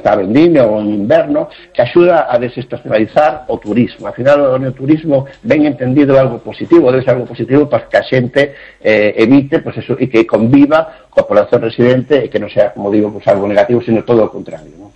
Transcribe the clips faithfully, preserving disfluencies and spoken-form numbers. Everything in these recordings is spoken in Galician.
está vendimia ou en inverno, que axuda a desestacionalizar o turismo. Al final, o turismo ben entendido algo positivo, debe ser algo positivo para que a xente eh, evite, pues eso, e que conviva coa población residente e que non sea, como digo, pues algo negativo, sino todo o contrario, ¿no?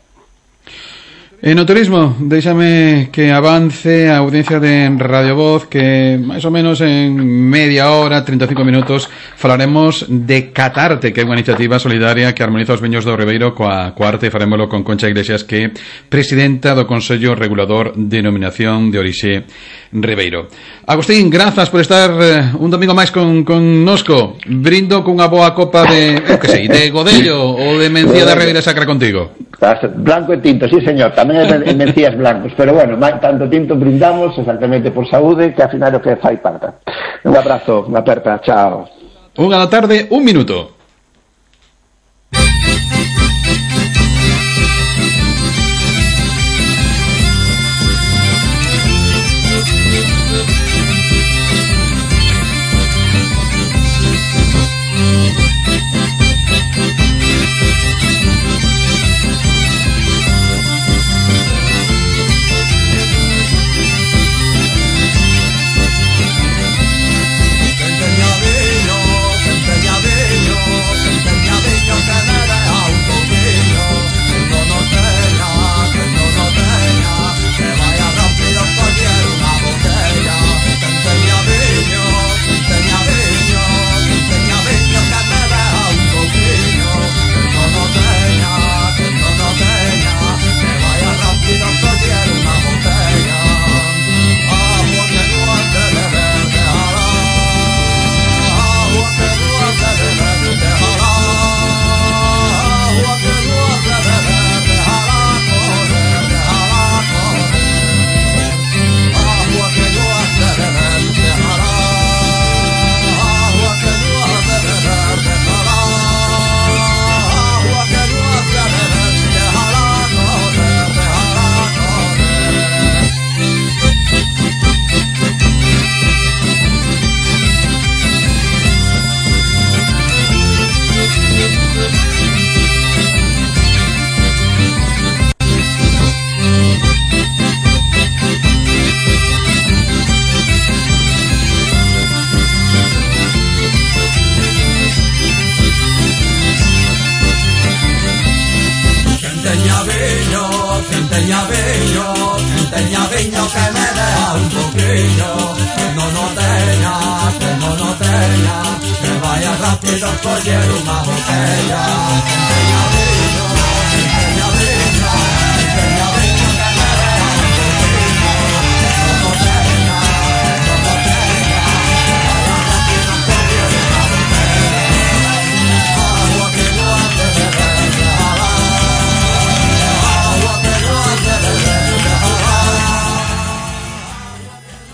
En o turismo, déxame que avance a audiencia de Radio Voz, que máis ou menos en media hora, trinta e cinco minutos, falaremos de Catarte, que é unha iniciativa solidaria que armoniza os viños do Ribeiro coa, coa arte, e farémolo con Concha Iglesias, que é presidenta do Consello Regulador de Denominación de Orixe Ribeiro. Agustín, grazas por estar eh, un domingo máis con, con nosco. Brindo cunha boa copa de, eu que sei, de Godello ou de Mencía da Ribeira Sacra contigo. Blanco e tinto, sí señor, tamén en Mencías blancos, pero bueno, tanto tinto brindamos exactamente por saúde, que ao final o que fai falta. Un abrazo, unha aperta, chao. Unha da tarde, un minuto.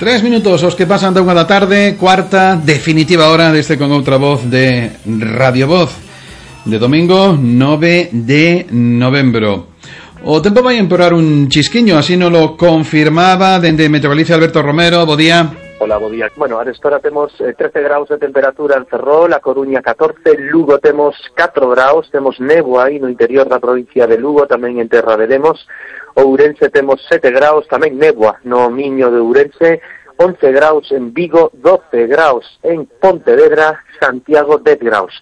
Tres minutos os que pasan da unha da tarde, cuarta, definitiva hora deste Con Outra Voz de Radio Voz, de domingo nove de novembro. O tempo vai empeorar un chisquiño, así nos lo confirmaba dende Meteo Galicia Alberto Romero. Bo día. Hola, bo día. Bueno, a esta hora temos eh, trece graus de temperatura en Ferrol, a Coruña catorce, Lugo temos catro graus, temos néboa aí no interior da provincia de Lugo, tamén en Terra de Lemos. Ourense temos sete graus, tamén néboa no Miño de Ourense, once graus en Vigo, doce graus en Pontevedra, Santiago dez graus.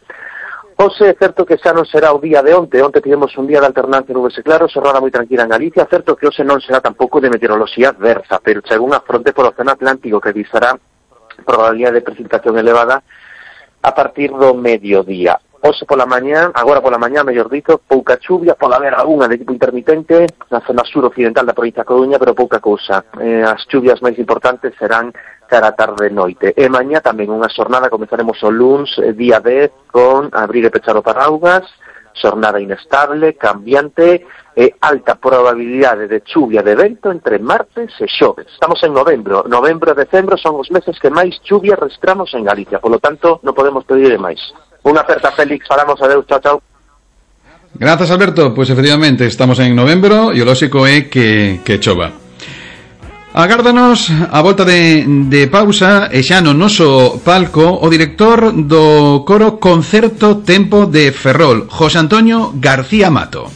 Ose é certo que xa non será o día de onte, onte tivemos un día de alternancia nubes e claros, xornada moi tranquila en Galicia, certo que ose non será tampouco de meteoroloxía adversa, pero chega unha fronte polo Océano Atlántico que avisará probabilidade de precipitación elevada a partir do mediodía. Ose pola mañá, agora pola mañá, mellor dito, pouca chuvia, pode haber algunha de tipo intermitente na zona sur-occidental da provincia de Coruña, pero pouca cousa. Eh, as chuvias máis importantes serán cara a tarde e noite. E mañá tamén unha xornada, comezaremos o luns, eh, día dez, con abrir e pechar o paraugas, xornada inestable, cambiante, e alta probabilidade de chuvia de vento entre martes e xoves. Estamos en novembro. Novembro e decembro son os meses que máis chuvia registramos en Galicia, polo tanto, non podemos pedir máis. Unha aperta, Félix, falamos, adeus, chao, chao. Grazas, Alberto. Pois efectivamente estamos en novembro e o lóxico é que, que chova. Agárdanos a volta de, de pausa e xa no noso palco o director do coro Concerto Tempo de Ferrol, José Antonio García Mato.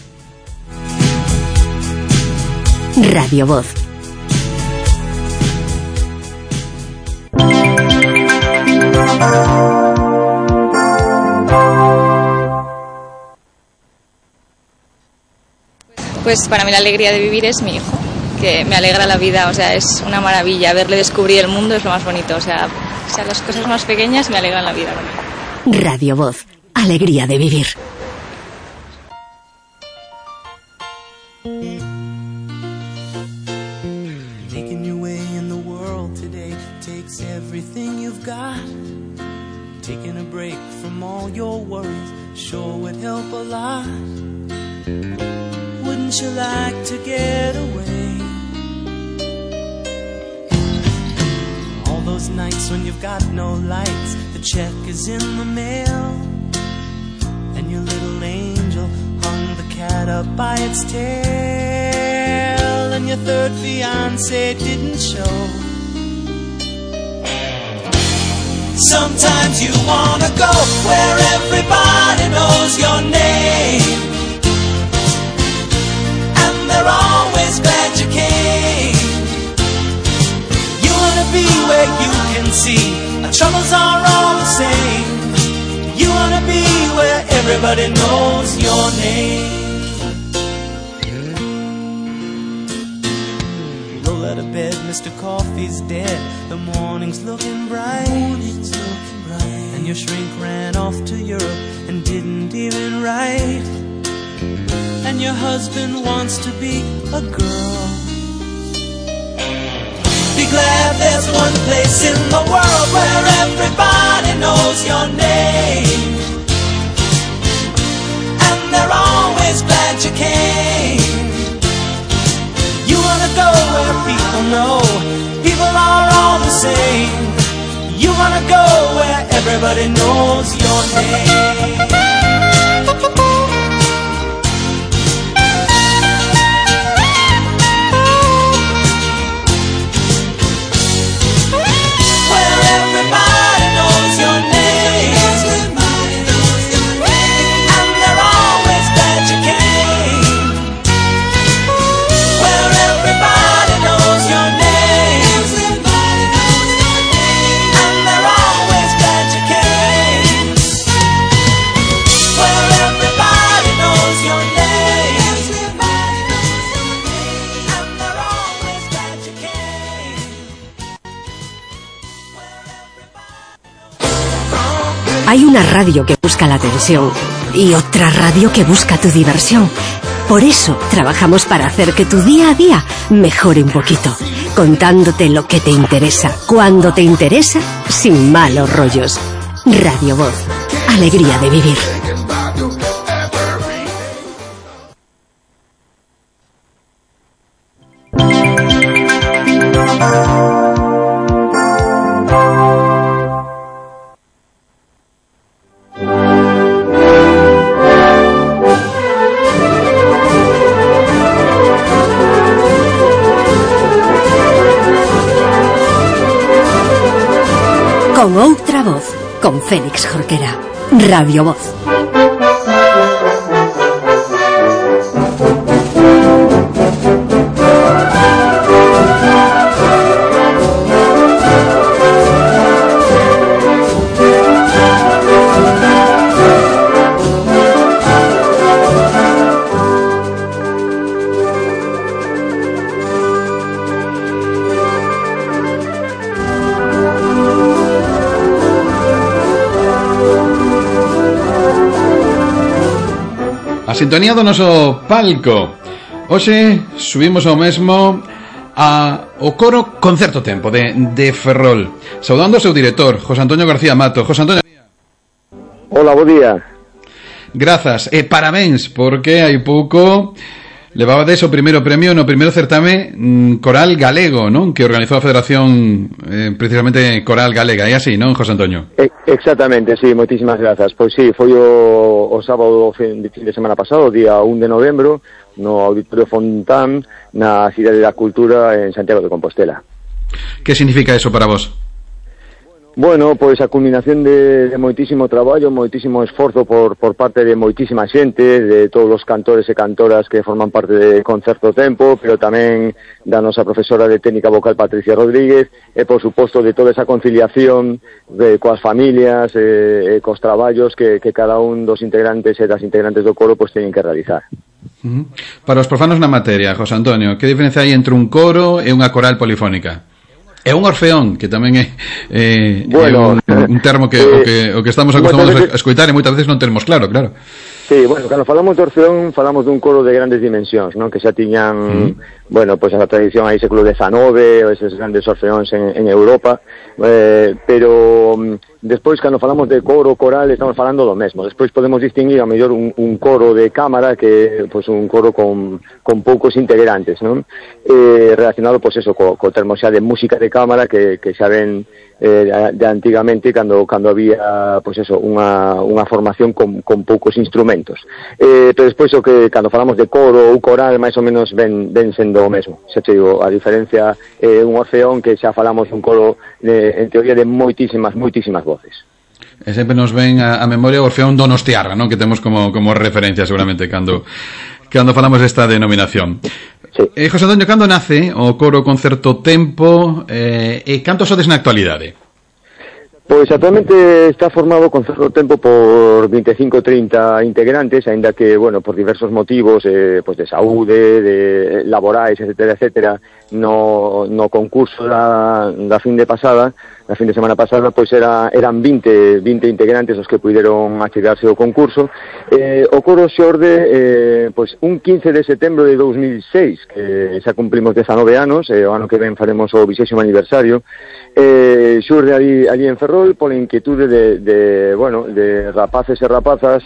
Radio Voz. Pues para mí la alegría de vivir es mi hijo, que me alegra la vida, o sea, es una maravilla. Verle descubrir el mundo es lo más bonito, o sea, o sea las cosas más pequeñas me alegran la vida. Radio Voz, alegría de vivir. Making your way in the world today takes everything you've got. Taking a break from all your worries sure would help a lot. Wouldn't you like to get away? All those nights when you've got no lights, the check is in the mail, and your little angel hung the cat up by its tail, and your third fiancé didn't show. Sometimes you wanna go where everybody knows your name, and they're always glad you came. You wanna be where you can see our troubles are all the same. You wanna be where everybody knows your name. Roll out of bed, Mister Coffee's dead. The morning's looking bright. Morning's looking bright. And your shrink ran off to Europe and didn't even write. And your husband wants to be a girl. Be glad there's one place in the world where everybody knows your name, and they're always glad you came. You wanna go where people know people are all the same. You wanna go where everybody knows your name. Hay una radio que busca la atención y otra radio que busca tu diversión. Por eso trabajamos para hacer que tu día a día mejore un poquito, contándote lo que te interesa, cuando te interesa, sin malos rollos. Radio Voz, alegría de vivir. Con outra voz, con Félix Jorquera. Radio Voz. A sintonía do noso palco. Hoxe subimos ao mesmo a o coro Concerto Tempo de, de Ferrol, saudando ao seu director, José Antonio García Mato. José Antonio. Hola, bo día. Grazas, e parabéns, porque hai pouco levabades o primeiro premio no primeiro certame coral galego, non? Que organizou a Federación eh, precisamente Coral Galega, é así, non, José Antonio? Eh, exactamente, sí, moitísimas grazas. Pois sí, foi o, o sábado fin, fin de semana pasado, día un de novembro, no Auditorio Fontán, na Cidade da Cultura en Santiago de Compostela. Que significa eso para vos? Bueno, pois a culminación de, de moitísimo traballo, moitísimo esforzo por, por parte de moitísima xente, de todos os cantores e cantoras que forman parte de Concerto Tempo, pero tamén da nosa profesora de técnica vocal Patricia Rodríguez, e por suposto de toda esa conciliación de, coas familias e, e cos traballos que, que cada un dos integrantes e das integrantes do coro pois teñen que realizar. Uh-huh. Para os profanos na materia, José Antonio, que diferencia hai entre un coro e unha coral polifónica? É un orfeón, que tamén é, é, bueno, é un, un termo que, eh, o que o que estamos acostumados veces, a escoitar e moitas veces non temos claro, claro. Sí, bueno, cando falamos de orfeón falamos dun coro de grandes dimensións, non? Que xa tiñan, mm. bueno, pois pues a tradición aí século dezenove, ou eses grandes orfeóns en, en Europa, eh, pero despois cando falamos de coro, coral, estamos falando do mesmo. Despois podemos distinguir a mellor un, un coro de cámara que pois pues, un coro con, con poucos integrantes, non? Eh, relacionado pois pues, eso co, co termo xa de música de cámara que, que xa ven eh, de, de antigamente cando cando había pois pues eso, unha, unha formación con, con poucos instrumentos. Eh, pero despois o que cando falamos de coro ou coral máis ou menos ven, ven sendo o mesmo. Xa te digo, a diferencia é eh, un orfeón que xa falamos un coro de, en teoría de moitísimas, moitísimas voces. E sempre nos ven a, a memoria o Orfeón Donostiarra, non? Que temos como, como referencia seguramente cando, cando falamos desta denominación. Sí. Eh, José Antonio, cando nace o coro Concerto Tempo eh, e cantos sodes na actualidade? Pois actualmente está formado con Concerto Tempo por vinte e cinco trinta integrantes, aínda que, bueno, por diversos motivos, eh, pois de saúde, de laborais, etcétera, etcétera, no, no concurso da, da fin de pasada, na fin de semana pasada, pois era, eran vinte, vinte integrantes os que puideron achegarse ao concurso. Eh, o coro xorde eh, pois un quince de setembro de dous mil seis, que xa cumplimos dezanove anos, e o ano que ven faremos o vixésimo aniversario. Eh, xurde ali, ali en Ferrol pola inquietude de, de, bueno, de rapaces e rapazas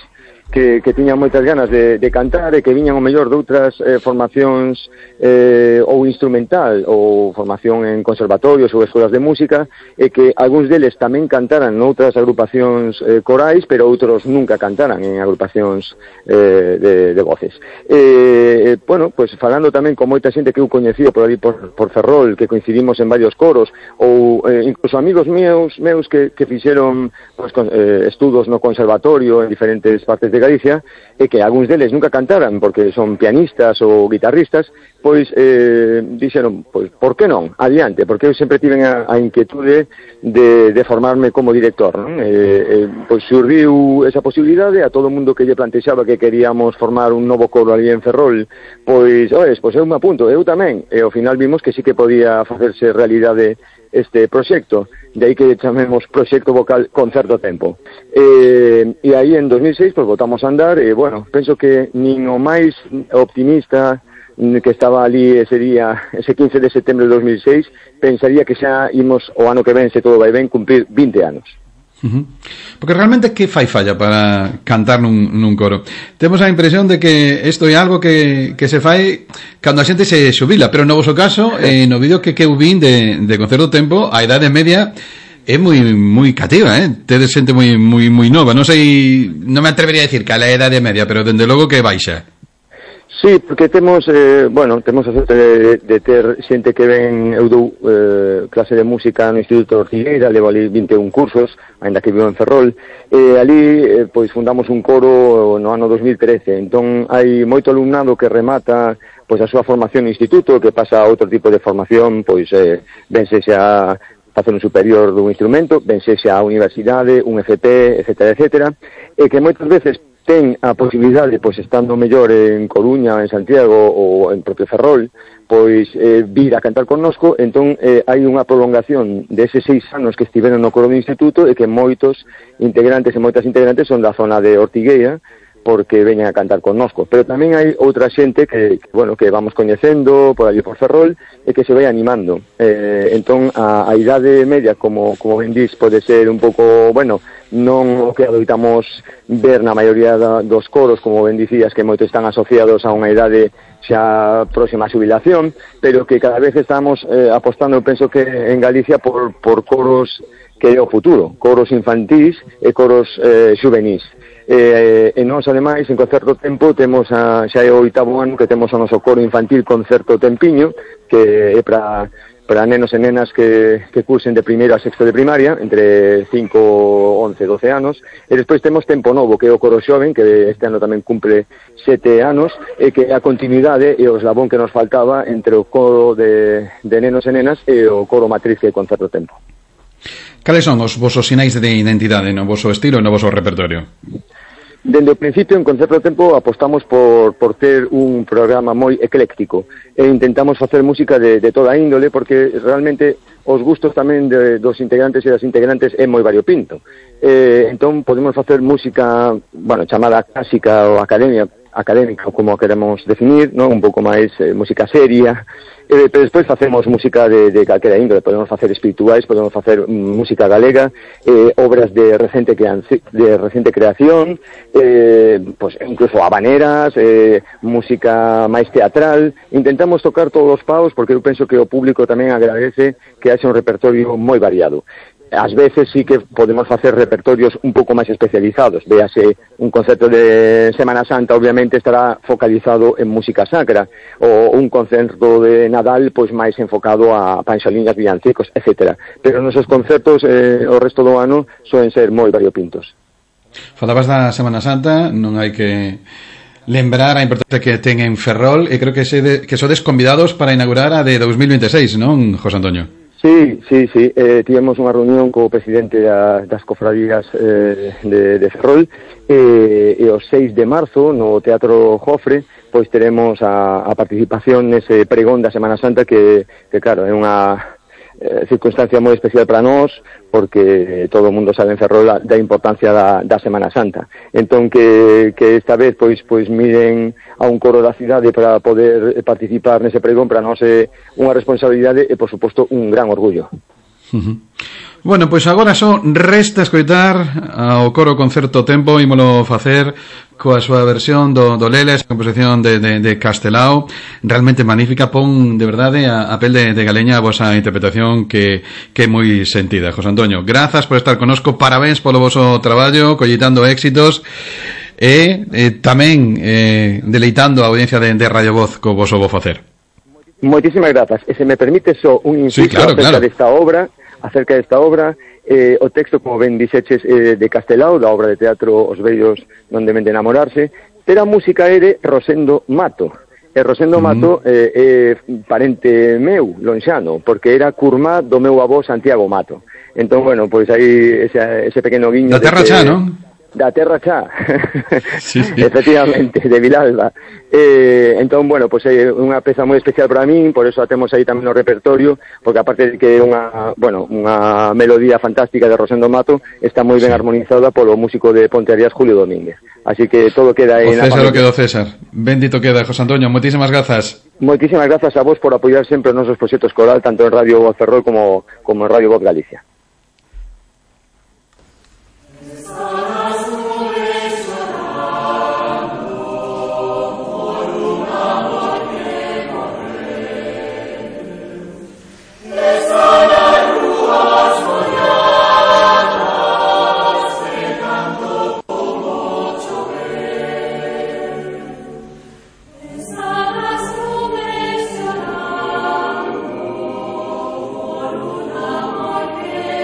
que, que tiñan moitas ganas de, de cantar e que viñan o mellor de outras eh, formacións eh, ou instrumental ou formación en conservatorios ou escolas de música, e que algúns deles tamén cantaran noutras agrupacións eh, corais, pero outros nunca cantaran en agrupacións eh, de, de voces. Eh, bueno, pues falando tamén con moita xente que eu coñecido por ali por, por Ferrol, que coincidimos en varios coros, ou eh, incluso amigos meus, meus que, que fixeron pues, con, eh, estudos no conservatorio en diferentes partes de Galicia, e que algúns deles nunca cantaran porque son pianistas ou guitarristas, pois eh, dixeron, pois, por que non? Adiante, porque eu sempre tiven a, a inquietude de, de formarme como director, non? Eh, eh, pois surdiu esa posibilidade a todo o mundo que lle plantexaba que queríamos formar un novo coro ali en Ferrol, pois, oes, pois eu me apunto, eu tamén, e ao final vimos que sí que podía facerse realidade este proxecto, de aí que chamemos Proxecto Vocal Concerto Tempo. Eh, e aí en dos mil seis pues, botamos a andar, e bueno, penso que nin o máis optimista que estaba ali ese día, ese quince de setembro de dos mil seis, pensaría que xa imos o ano que ven, se todo vai ben, cumprir vinte anos. Uh-huh. Porque realmente que fai falla para cantar nun, nun coro? Temos a impresión de que isto é algo que, que se fai cando a xente se xubila, pero no voso caso, eh, no vídeo que que eu vin de, de Concerto Tempo, a idade media é moi moi cativa, eh? Tedes xente moi moi moi nova, non sei, non me atrevería a decir que a la idade media, pero dende logo que baixa. Sí, porque temos, eh, bueno, temos a sorte de, de ter xente que ven, eu dou eh, clase de música no Instituto Ortigueira, levo ali vinte e un cursos, ainda que vivo en Ferrol, e ali, eh, pois, fundamos un coro no ano dos mil trece, entón hai moito alumnado que remata, pois, a súa formación no Instituto, que pasa a outro tipo de formación, pois, eh, vense xa facer un superior dun instrumento, vense xa a universidade, un F P, etcétera, etcétera, e que moitas veces ten a posibilidade, pois, estando mellor en Coruña, en Santiago ou en propio Ferrol, pois eh, vir a cantar connosco, entón eh, hai unha prolongación deses seis anos que estiveron no coro do instituto, e que moitos integrantes e moitas integrantes son da zona de Ortigueira, porque veñen a cantar connosco. Pero tamén hai outra xente que, que bueno, que vamos coñecendo por ali por Ferrol, e que se vai animando. Eh, entón, a, a idade media, como, como ben dís, pode ser un pouco, bueno, non o que adoitamos ver na maioría da, dos coros, como ben dicías, que moitos están asociados a unha idade xa próxima a xubilación, pero que cada vez estamos eh, apostando, penso que en Galicia, por, por coros que é o futuro, coros infantís e coros eh, xuvenís. Eh, e nós, ademais, en Concerto Tempo temos a, xa é o oitavo ano que temos o noso coro infantil Concerto Tempiño, que é para para nenos e nenas que, que cursen de primeiro a sexto de primaria, entre cinco, once, doce anos, e despois temos Tempo Novo, que é o coro xoven, que este ano tamén cumple sete anos, e que é a continuidade e o eslabón que nos faltaba entre o coro de, de nenos e nenas e o coro matriz que é Concerto Tempo. Cales son os vosos sinais de identidade no voso estilo e no voso repertorio? Dende o principio, en Concerto Tempo, apostamos por, por ter un programa moi ecléctico e intentamos facer música de, de toda índole, porque realmente os gustos tamén de, dos integrantes e das integrantes é moi variopinto. Eh, entón, podemos facer música, bueno, chamada clásica ou academia, académica, como a queremos definir, non? Un pouco máis eh, música seria, eh, pero despois facemos música de, de calquera índole, podemos facer espirituais, podemos facer mm, música galega, eh, obras de recente, de recente creación, eh, pues, incluso habaneras, eh, música máis teatral. Intentamos tocar todos os paus, porque eu penso que o público tamén agradece que haxe un repertorio moi variado. Ás veces sí que podemos facer repertorios un pouco máis especializados. Véase, un concerto de Semana Santa obviamente estará focalizado en música sacra, ou un concerto de Nadal pois máis enfocado a panxoliñas, villancicos, etcétera. Pero nosos concertos eh, o resto do ano soen ser moi variopintos. Falabas da Semana Santa, non hai que lembrar a importancia que ten en Ferrol, e creo que, se de, que sodes convidados para inaugurar a de dos mil veintiséis, non, José Antonio? Sí, sí, sí, eh, tivemos unha reunión co presidente da, das cofradías eh, de, de Ferrol eh, e o seis de marzo no Teatro Jofre pois teremos a, a participación nese pregón da Semana Santa que, que claro, é unha eh, circunstancia moi especial para nós, porque todo o mundo sabe en Ferrol da importancia da, da Semana Santa. Entón que, que esta vez pois pois miren a un coro da cidade para poder participar nese pregón, para nós é unha responsabilidade e, por suposto, un gran orgullo. Uh-huh. Bueno, pois agora só resta escoitar ao coro Concerto Tempo, ímolo facer coa súa versión do, do Leles, a composición de, de, de Castelao, realmente magnífica. Pon de verdade a, a pel de, de galeña a vosa interpretación que, que é moi sentida. José Antonio, grazas por estar conosco, parabéns polo voso traballo, collitando éxitos e eh, tamén eh, deleitando a audiencia de, de Radio Voz co voso bo facer. Moitísimas grazas. E se me permite só un inciso sí, claro, acerca claro. desta obra, acerca desta obra, eh, o texto, como ben dixeches, eh, de Castelao, da obra de teatro Os vellos non deben de enamorarse, pero a música é de Rosendo Mato. E Rosendo mm. Mato eh, é parente meu, lonxano, porque era curmá do meu avó Santiago Mato. Entón, bueno, pois aí ese, ese pequeno guiño... Da terra xa, non? Da terra xa, sí, sí. Efectivamente, de Vilalba. Eh, entón, bueno, pois é unha peza moi especial para min, por eso a temos aí tamén no repertorio, porque aparte de que é unha, bueno, unha melodía fantástica de Rosendo Mato, está moi ben sí. armonizada polo músico de Pontearías, Julio Domínguez. Así que todo queda aí na familia. O César o quedou César. Bendito queda, José Antonio. Moitísimas grazas. Moitísimas grazas a vos por apoiar sempre os nosos proxectos coral, tanto en Radio Voz Ferrol como, como en Radio Voz Galicia. Por un amor que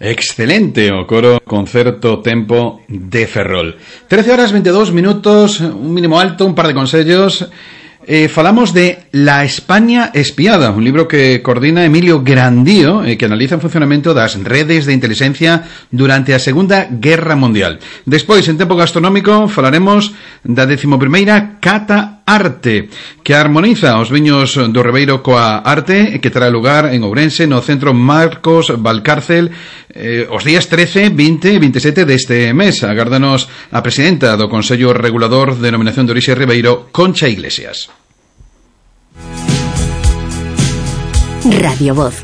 Excelente o coro Concerto Tempo de Ferrol. trece horas veintidós minutos, un mínimo alto, un par de consellos. Eh, falamos de La España espiada, un libro que coordina Emilio Grandío, eh, que analiza o funcionamento das redes de inteligencia durante a Segunda Guerra Mundial. Despois, en tempo gastronómico, falaremos da decimoprimeira Cata Arte, que armoniza os viños do Ribeiro coa arte, que terá lugar en Ourense, no Centro Marcos Valcárcel, eh, os días trece, vinte e veintisiete deste mes. Agárdanos a presidenta do Consello Regulador de Denominación de Orixe Ribeiro, Concha Iglesias. Radio Voz.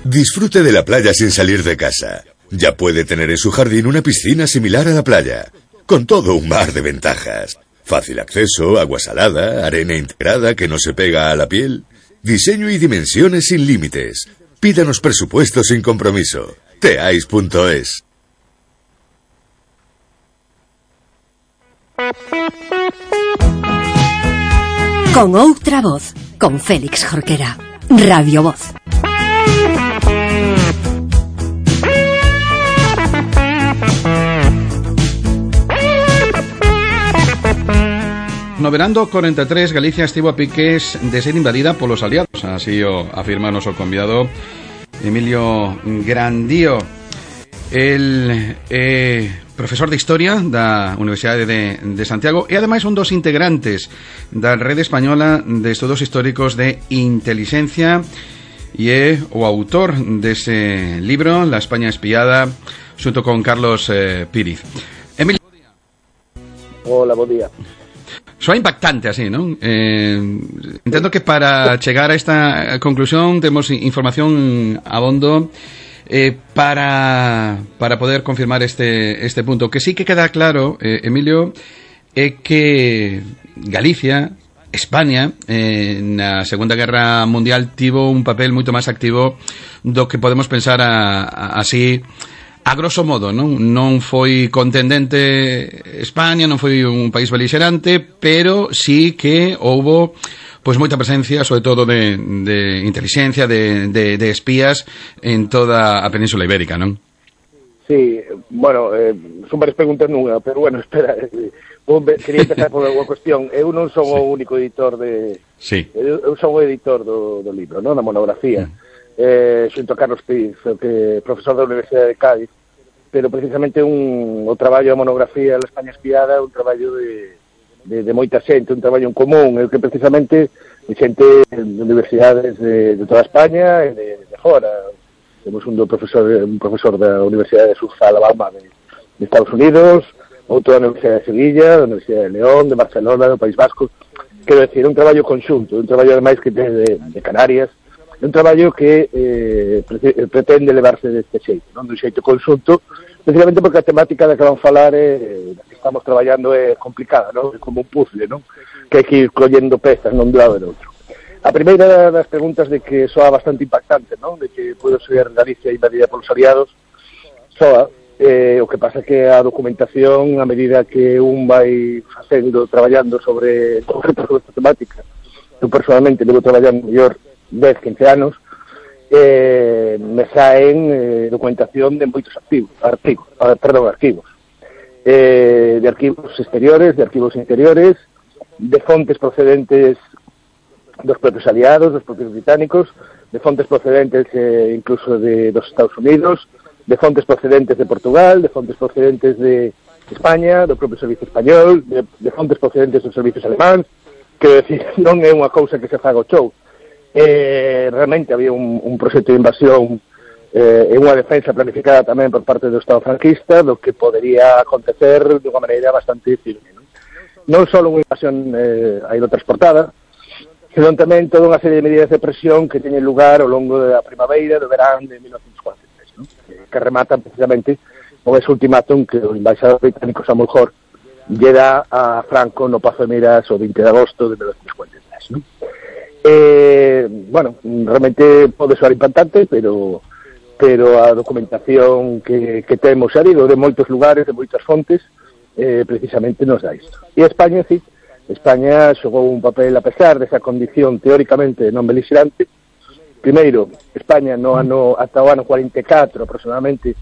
Disfrute de la playa sin salir de casa. Ya puede tener en su jardín una piscina similar a la playa, con todo un mar de ventajas. Fácil acceso, agua salada, arena integrada que no se pega a la piel. Diseño y dimensiones sin límites. Pídanos presupuesto sin compromiso. teais punto es. Con outra voz, con Félix Jorquera. Radio Voz. No verán do corenta e tres, Galicia estivo a piques de ser invadida polos aliados. Así o afirma o noso convidado Emilio Grandío. El eh, profesor de Historia da Universidade de, de Santiago e ademais un dos integrantes da Rede Española de Estudos Históricos de Inteligencia e é o autor dese libro, La España espiada, xunto con Carlos eh, Píriz. Emilio. Hola, bo día. Soa impactante así, non? Eh, entendo que para chegar a esta conclusión temos información abondo eh, para para poder confirmar este este punto. Que sí que queda claro, eh, Emilio, é que Galicia, España, eh, na Segunda Guerra Mundial tivo un papel moito máis activo do que podemos pensar a, a, así a grosso modo, non? Non foi contendente España, non foi un país beligerante, pero sí que houbo pois moita presencia, sobre todo de, de inteligencia, de, de, de espías en toda a Península Ibérica, non? Sí, bueno, eh, son varias preguntas nunha, pero bueno, espera, eh, quería empezar por unha cuestión. Eu non son sí. o único editor de... Sí. Eu, eu son o editor do, do libro, non? Da monografía. Mm. Eh, xunto a Carlos Píriz, que é profesor da Universidade de Cádiz, pero precisamente un, o traballo da monografía da España espiada é un traballo de, de, de moita xente, un traballo en común, é que precisamente de xente de universidades de, de toda España e de, de fora. Temos un do profesor, un profesor da Universidade de South Alabama de, de Estados Unidos, outro da Universidade de Sevilla, da Universidade de León, de Barcelona, do País Vasco. Quero decir, un traballo conxunto, un traballo ademais que ten de, de Canarias, un traballo que eh, pre pretende levarse deste xeito, non? Dun xeito conxunto, precisamente porque a temática da que van falar é, da que estamos traballando é complicada, non? É como un puzzle, non? Que hai que ir collendo pezas non de lado e do outro. A primeira das preguntas de que soa bastante impactante, non? De que pode ser Galicia invadida polos aliados, soa, eh, o que pasa é que a documentación, a medida que un vai facendo, traballando sobre esta temática, eu personalmente levo traballando mellor dez, quince anos, eh, me saen eh, documentación de moitos archivos, archivos, perdón, archivos, eh, de archivos exteriores, de archivos interiores, de fontes procedentes dos propios aliados, dos propios británicos, de fontes procedentes eh, incluso de dos Estados Unidos, de fontes procedentes de Portugal, de fontes procedentes de España, do propio Servicio Español, de, de fontes procedentes dos servicios alemáns, que decir, non é unha cousa que se faga o show. Eh, realmente había un, un proxecto de invasión eh, e unha defensa planificada tamén por parte do Estado franquista do que podería acontecer de unha maneira bastante firme, non, non só unha invasión eh, aerotransportada, senón tamén toda unha serie de medidas de presión que teñen lugar ao longo da primavera do verán de mil novecentos cuarenta e tres, non? Que, que rematan precisamente con ese ultimátum que o embaixador británico Samuel Hoare lle dá a Franco no Pazo de Miras o vinte de agosto de mil novecentos cuarenta e tres, non? Eh, bueno, realmente pode soar impactante, pero pero a documentación que, que temos, xa digo, de moitos lugares, de moitas fontes, eh, precisamente nos dá isto. E España, sí, España xogou un papel, a pesar desa condición teóricamente non beligerante, primeiro, España no ano, ata o ano cuarenta e catro aproximadamente,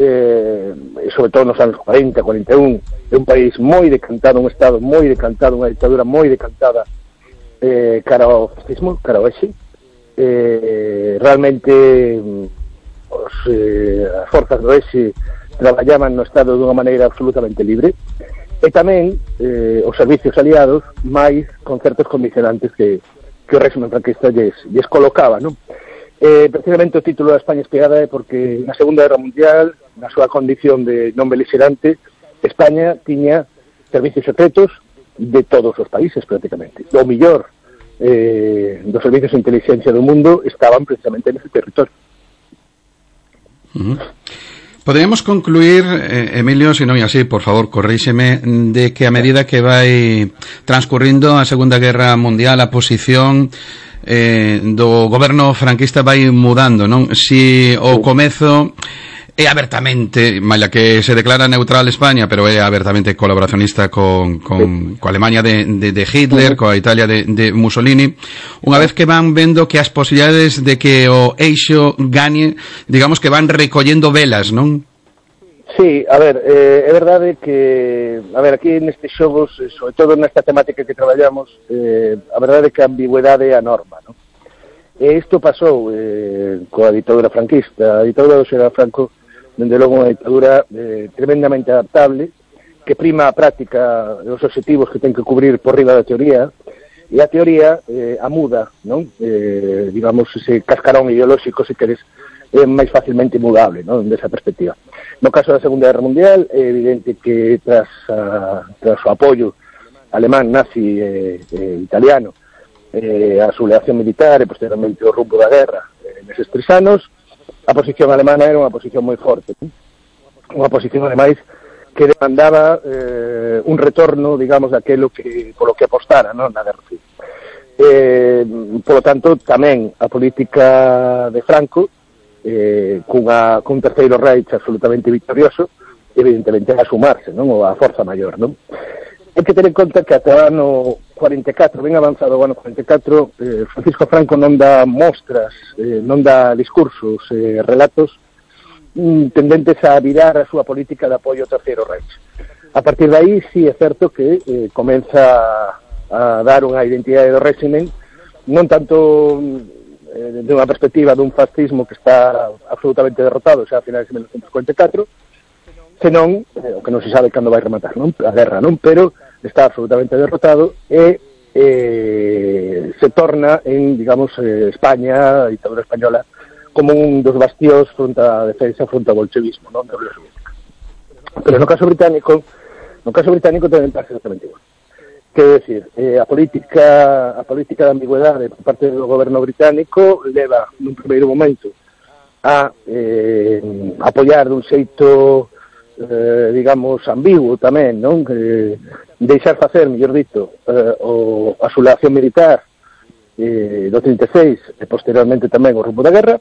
eh, sobre todo nos anos cuarenta, cuarenta e un, é un país moi decantado, un estado moi decantado, unha ditadura moi decantada eh, cara ao fascismo, cara ao exe. Eh, realmente os, eh, as forzas do exe traballaban no estado dunha maneira absolutamente libre, e tamén eh, os servicios aliados máis con certos condicionantes que, que o régimen franquista lles, lles colocaba, non? Eh, precisamente o título da España espiada é porque na Segunda Guerra Mundial, na súa condición de non beligerante, España tiña servicios secretos de todos os países prácticamente. O millor eh, dos servicios de inteligencia do mundo estaban precisamente nese territorio. Uh-huh. Poderíamos concluir, eh, Emilio, se non é así, por favor, corríxeme, de que a medida que vai transcurrindo a Segunda Guerra Mundial, a posición eh, do goberno franquista vai mudando, non? Si o comezo é abertamente, malla que se declara neutral España, pero é abertamente colaboracionista con, con, co Alemania de, de, de Hitler, coa Italia de, de Mussolini, unha vez que van vendo que as posibilidades de que o eixo gane, digamos que van recollendo velas, non? Sí, a ver, eh, é verdade que, a ver, aquí nestes xogos, sobre todo nesta temática que traballamos, eh, a verdade é que a ambigüedade é a norma, non? E isto pasou eh, coa ditadura franquista. A ditadura do xeneral Franco, dende logo unha ditadura eh, tremendamente adaptable, que prima a práctica dos objetivos que ten que cubrir por riba da teoría, e a teoría eh, a muda, non? Eh, digamos, ese cascarón ideolóxico, se queres, é máis facilmente mudable, non? Desa perspectiva. No caso da Segunda Guerra Mundial, é evidente que tras, a, tras o apoio alemán, nazi e eh, eh, italiano, eh, a sublevación militar e posteriormente o rumbo da guerra eh, neses tres anos, a posición alemana era unha posición moi forte, non? Unha posición, ademais, que demandaba eh, un retorno, digamos, daquelo que, polo que apostara, non? Na guerra civil. Eh, polo tanto, tamén a política de Franco, eh, cunha, cun terceiro Reich absolutamente victorioso, evidentemente a sumarse, non? Ou a forza maior, non? Hai que ter en conta que ata o ano cuarenta e catro, ben avanzado o ano cuarenta e catro, eh, Francisco Franco non dá mostras, eh, non dá discursos, eh, relatos mm, tendentes a virar a súa política de apoio ao terceiro Reich. A partir de aí, sí, é certo que eh, comeza a dar unha identidade do régimen, non tanto eh, de unha perspectiva dun fascismo que está absolutamente derrotado xa a finais de mil novecientos cuarenta e catro, senón, eh, o que non se sabe cando vai rematar, non? A guerra, non? Pero está absolutamente derrotado e eh, se torna en, digamos, eh, España, a ditadura española, como un dos bastións fronte á defensa fronte ao bolchevismo, non? Da Unión Soviética. Pero no caso británico, no caso británico tamén pasa exactamente igual. Quero decir, eh, a política a política de ambigüedade por parte do goberno británico leva nun primeiro momento a eh, apoiar dun xeito eh, digamos ambiguo tamén, non? Que deixar facer, mellor dito, eh, o, a sublevación militar eh, do trinta e seis e posteriormente tamén o rumbo da guerra.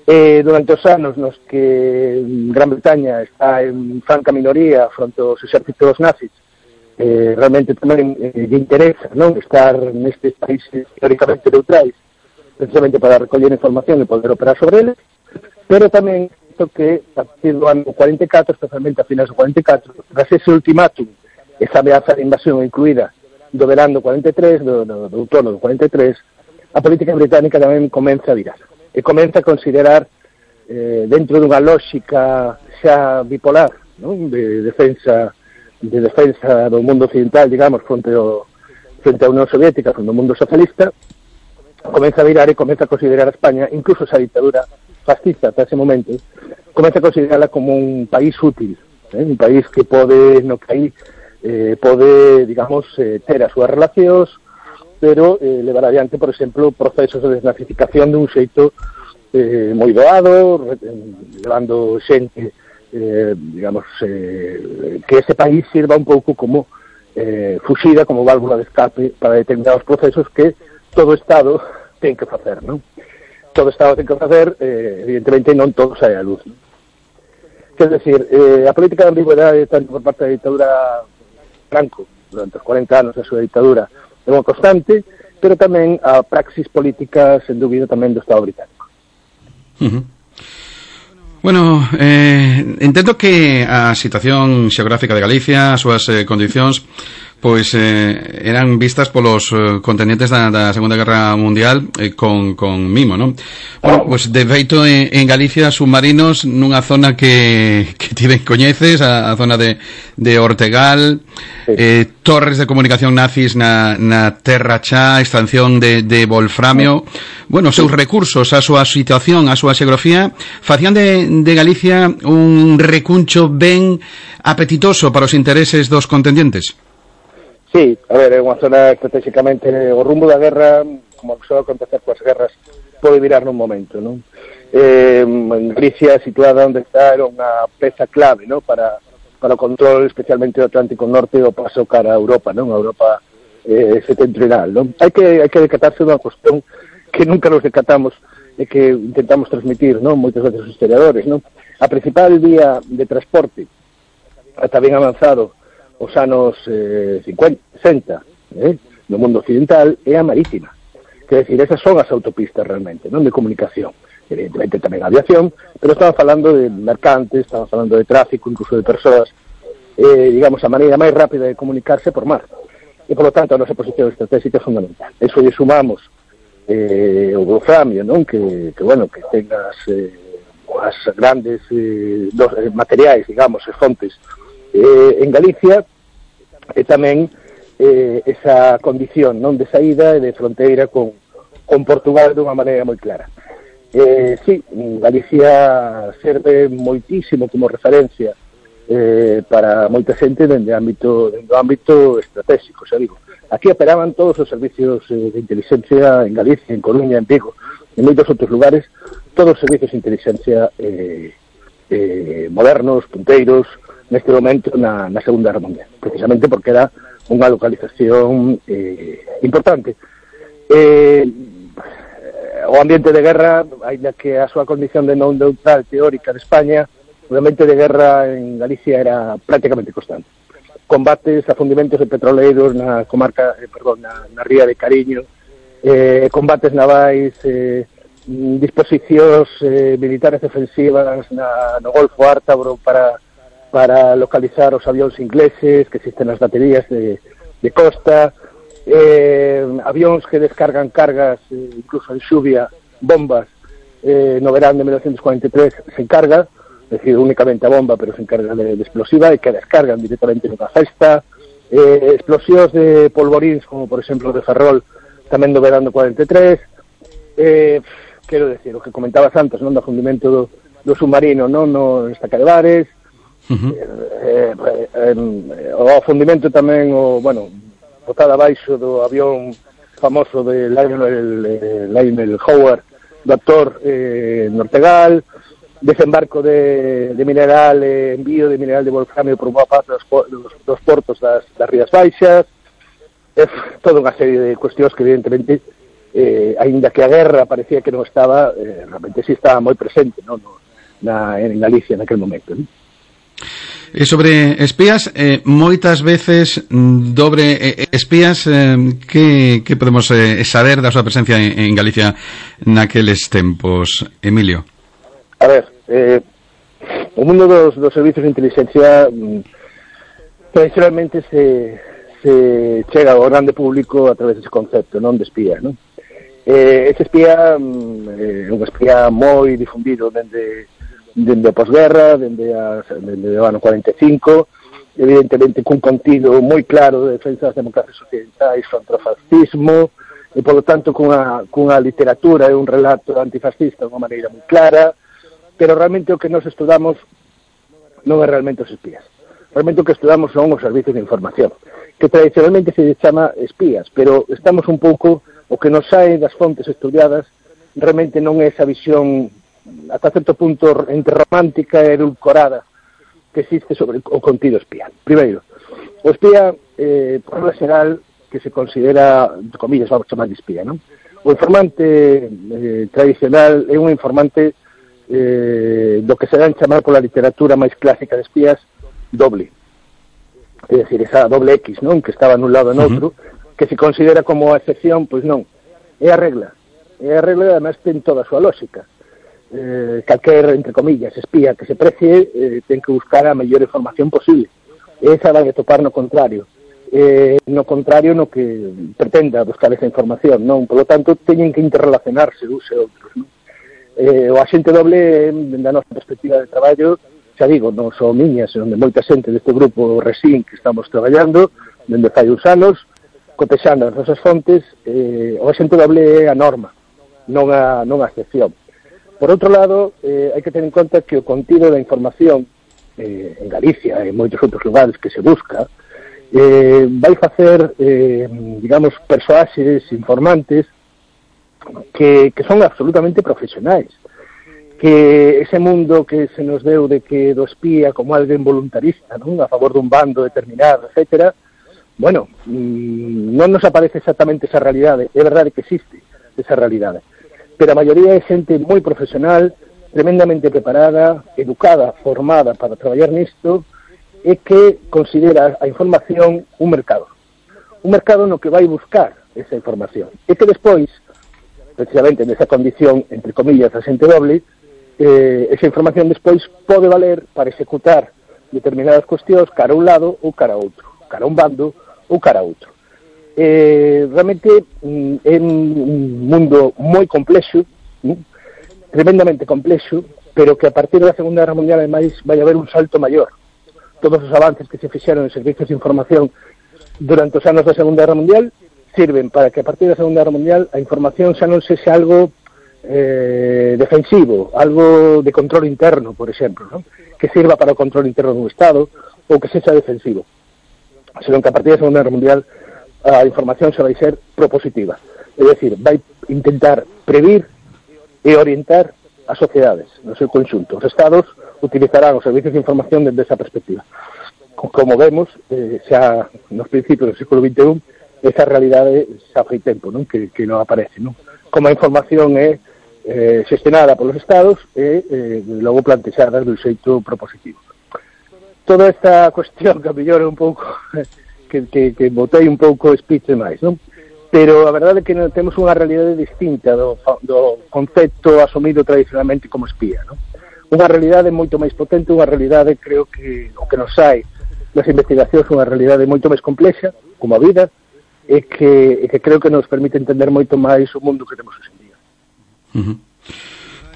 Eh, durante os anos nos que Gran Bretaña está en franca minoría fronte aos exércitos nazis, Eh, realmente tamén eh, lle interesa, non, estar nestes países teóricamente neutrais, precisamente para recoller información e poder operar sobre eles, pero tamén isto que a partir do ano cuarenta e catro, especialmente a finais do cuarenta e catro, tras ese ultimátum, esa ameaza de invasión incluída do verán do cuarenta e tres, do, do, do outono do cuarenta e tres, a política británica tamén comeza a virar, e comeza a considerar, eh, dentro dunha lógica xa bipolar, non, de defensa de defensa do mundo occidental, digamos, fronte ao frente á Unión Soviética, fronte ao mundo socialista, comeza a virar e comeza a considerar a España, incluso esa ditadura fascista ata ese momento, comeza a considerarla como un país útil, eh? un país que pode, no que aí, eh, pode, digamos, eh, ter as súas relacións, pero eh, levar adiante, por exemplo, procesos de desnazificación dun xeito eh, moi doado, levando xente Eh, digamos, eh, que ese país sirva un pouco como eh, fuxida, como válvula de escape para determinados procesos que todo Estado ten que facer, non? Todo Estado ten que facer, eh, evidentemente non todo sae a luz, non? Quer decir, eh, a política de ambigüedade tanto por parte da ditadura Franco durante os cuarenta anos da súa ditadura é unha constante, pero tamén a praxis política, sen dúbida, tamén do Estado británico. Uh-huh. Bueno, eh, entendo que a situación xeográfica de Galicia, as súas eh, condicións, pois eh, eran vistas polos eh, contendentes da, da Segunda Guerra Mundial eh, con, con mimo, non? Bueno, pois de feito en, en Galicia submarinos nunha zona que, que ti ben coñeces, a, a zona de, de Ortegal, eh, torres de comunicación nazis na, na Terra Chá, extracción de, de wolframio, bueno, os seus recursos, a súa situación, a súa xeografía, facían de, de Galicia un recuncho ben apetitoso para os intereses dos contendientes. Sí, a ver, é unha zona estratégicamente, o rumbo da guerra, como só acontecer coas guerras, pode virar nun momento, non? Eh, en Galicia, situada onde está, era unha peza clave, non? Para, para o control, especialmente do Atlántico Norte, e o paso cara a Europa, non? A Europa eh, setentrional, non? Hai que, hai que decatarse dunha cuestión que nunca nos decatamos e que intentamos transmitir, non? Moitas veces os historiadores, non? A principal vía de transporte, ata ben avanzado, os anos eh, cincuenta, sesenta, eh, no mundo occidental, é a marítima. Quer decir, esas son as autopistas realmente, non de comunicación. Evidentemente tamén a aviación, pero estamos falando de mercantes, estamos falando de tráfico, incluso de persoas, eh, digamos, a maneira máis rápida de comunicarse por mar. E, por lo tanto, a nosa posición estratégica é fundamental. Eso lle sumamos eh, o wolframio, non? Que, que, bueno, que tengas eh, as grandes eh, dos, eh, materiais, digamos, e fontes Eh, en Galicia, e tamén eh, esa condición non de saída e de fronteira con, con Portugal dunha maneira moi clara. Eh, sí, Galicia serve moitísimo como referencia eh, para moita xente dende ámbito, dende o ámbito estratégico, xa digo. Aquí operaban todos os servicios eh, de inteligencia en Galicia, en Coruña, en Vigo, en moitos outros lugares, todos os servicios de inteligencia eh, eh, modernos, punteiros, neste momento na, na Segunda Guerra Mundial, precisamente porque era unha localización eh, importante. Eh, o ambiente de guerra, ainda que a súa condición de non neutral teórica de España, o ambiente de guerra en Galicia era prácticamente constante. Combates, afundimentos de petroleiros na comarca, eh, perdón, na, na ría de Cariño, eh, combates navais, eh, disposicións eh, militares defensivas na, no Golfo Ártabro para para localizar os avións ingleses que existen nas baterías de, de costa, eh, avións que descargan cargas, eh, incluso en xuvia, bombas, eh, no verán de mil novecientos cuarenta y tres se encarga, es decir, únicamente a bomba, pero se encarga de, de explosiva, e que descargan directamente nunha festa, eh, explosións de polvoríns, como por exemplo de Ferrol, tamén do verán do cuarenta y tres, eh, quero decir, o que comentabas antes, non, do afundimento do, do submarino, non, no Estaca de Bares, Uh-huh. eh, eh, eh, o afundimento tamén o, bueno, botada abaixo do avión famoso de Lionel, eh, Lionel Howard, do actor eh, Nortegal, desembarco de, de mineral, eh, envío de mineral de wolframio por boa parte dos, dos, dos portos das, das Rías Baixas, é toda unha serie de cuestións que evidentemente eh, aínda que a guerra parecía que non estaba, eh, realmente sí estaba moi presente, non, no, na, en Galicia naquele momento, non? E sobre espías, eh, moitas veces dobre eh, espías, eh, que, que podemos eh, saber da súa presencia en, en Galicia naqueles tempos, Emilio? A ver, eh, o mundo dos, dos servicios de inteligencia mm, tradicionalmente se, se chega ao grande público a través dese concepto, non de espía, non? Eh, ese espía mm, é un espía moi difundido dende dende a posguerra, dende, a, dende o ano cuarenta e cinco, evidentemente cun contido moi claro de defensa das democracias occidentais contra o fascismo, e, polo tanto, cunha, cunha literatura e un relato antifascista de unha maneira moi clara, pero realmente o que nos estudamos non é realmente os espías. Realmente o que estudamos son os servicios de información, que tradicionalmente se chama espías, pero estamos un pouco, o que nos sae das fontes estudiadas, realmente non é esa visión ata certo punto entre romántica e edulcorada que existe sobre o contido espía. Primeiro, o espía, eh, por regla xeral, que se considera, comillas, vamos chamar de espía, non? O informante eh, tradicional é un informante eh, do que se dan chamar pola literatura máis clásica de espías doble. É dicir, esa doble X, non? Que estaba nun lado e noutro, uh-huh. que se considera como a excepción, pois non, é a regla. É a regla, además, ten toda a súa lógica. Eh, calquer, entre comillas, espía que se precie eh, ten que buscar a mellor información posible. Esa vai a topar no contrario. Eh, no contrario no que pretenda buscar esa información, non? Por lo tanto, teñen que interrelacionarse uns e outros, non? Eh, o axente doble, da nosa perspectiva de traballo, xa digo, non só miñas, onde moita xente deste grupo Resín que estamos traballando, dende fai uns anos, cotexando as nosas fontes, eh, o axente doble é a norma, non a, non a excepción. Por outro lado, eh, hai que ter en conta que o contido da información eh, en Galicia e en moitos outros lugares que se busca, Eh, vai facer, eh, digamos, persoaxes informantes que, que son absolutamente profesionais, que ese mundo que se nos deu de que do espía como alguén voluntarista, non, a favor dun bando determinado, etcétera, bueno, mmm, non nos aparece exactamente esa realidade. É verdade que existe esa realidade, pero a maioría é xente moi profesional, tremendamente preparada, educada, formada para traballar nisto, é que considera a información un mercado. Un mercado no que vai buscar esa información. E que despois, precisamente nesa condición, entre comillas, axente doble, eh, esa información despois pode valer para executar determinadas cuestións cara a un lado ou cara a outro, cara a un bando ou cara a outro. Eh, realmente é un mundo moi complexo, ¿no? Tremendamente complexo, pero que a partir da Segunda Guerra Mundial, ademais, vai haber un salto maior. Todos os avances que se fixeron en servicios de información durante os anos da Segunda Guerra Mundial sirven para que a partir da Segunda Guerra Mundial a información xa non sexa algo eh, defensivo, algo de control interno, por exemplo, ¿no? Que sirva para o control interno dun Estado ou que sexa defensivo, senón que a partir da Segunda Guerra Mundial a información xa vai ser propositiva, é dicir, vai intentar previr e orientar as sociedades no seu conxunto. Os Estados utilizarán os servicios de información desde esa perspectiva. Como vemos, eh, xa nos principios do século vinte e un, esa realidade xa fai tempo, non? Que, que non aparece, non? Como a información é eh, xestionada polos Estados e eh, logo plantexada dun xeito propositivo. Toda esta cuestión que a mellor é un pouco que, que, que botei un pouco speech demais, non? Pero a verdade é que non temos unha realidade distinta do, do concepto asumido tradicionalmente como espía, non? Unha realidade moito máis potente, unha realidade, creo que o que nos sai das investigacións, unha realidade moito máis complexa, como a vida, e que, e que creo que nos permite entender moito máis o mundo que temos hoxe en día. Uh-huh.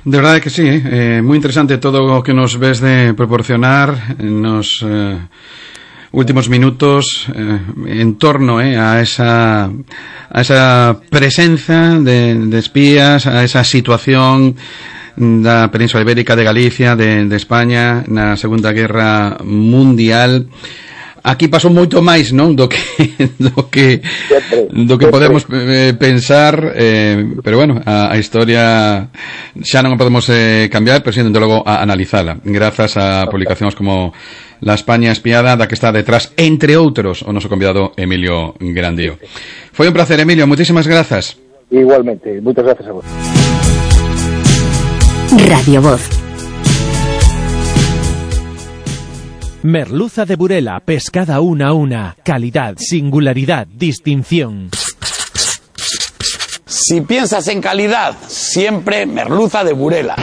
De verdade que sí, eh, moi interesante todo o que nos ves de proporcionar nos eh, últimos minutos eh, en torno eh, a esa a esa presenza de, de espías, a esa situación da Península Ibérica, de Galicia, de, de España na Segunda Guerra Mundial. Aquí pasou moito máis, non, do que do que do que podemos eh, pensar, eh, pero bueno, a, a historia xa non a podemos eh, cambiar, pero sendo logo a analizala, grazas a publicacións como La España espiada, da que está detrás, entre outros, o noso convidado Emilio Grandío. Foi un placer, Emilio, moitísimas grazas. Igualmente, moitas grazas a vos. Radio Voz. Merluza de Burela, pescada una a una. Calidad, singularidad, distinción. Si piensas en calidad, siempre merluza de Burela.